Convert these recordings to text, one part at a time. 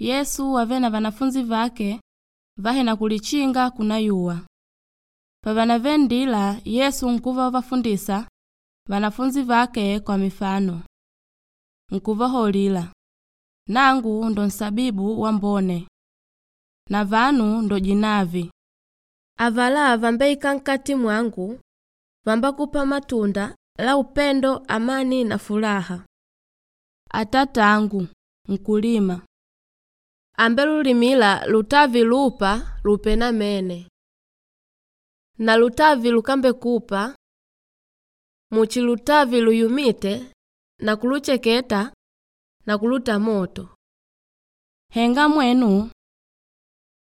Yesu wavene na vanafunzi vake vahena kulichinga kunayuwa. Pavanave nndila Yesu nkuva wavafundisa vanafunzi vake kwa mifano. Nkuvaholila, “Nangu ndo nsabibu wambone na vanu ndo jinavi. Avalá vambeikâla nkati mwangu vambakupa matunda la upendo, amani na fulaha. Atatangu nkulima, Ambelulimila lutavi lupa lupe namene. Na lutavi lukambekupa, muchi lutavi luyumíte na kulucheketa na kuluta moto. Henga mwenu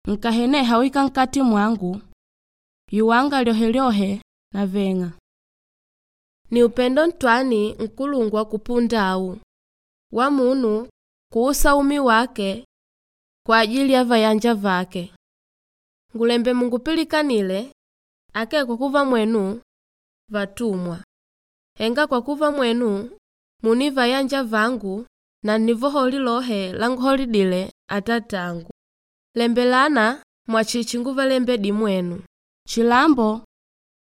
nkaheneha wika nkati mwangu, yuwanga lyohelyohe naveng'a. Ni upendo ntwani nkulungwa kupunda au, wa munu kuusa umi wake kwa ajili ya vayanja vake. Ngulembe mungupilikanile akee kwa kuva mwenu vatumwa, henga kwa kuva mwenu muni vayanja vangu na nnivoholi lohe languholidile Atatangu. Lembelana mwachichi nguvalembedi mwenu. Chilambo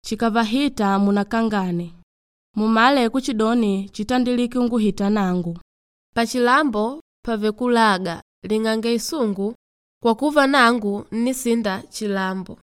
chikavahita munakangane, mumale kuchidoni chitandilike unguhita nangu. Pachilambo pàvele kulaga, ling'ange isungu kwa kuva nangu nnisinda chilambo.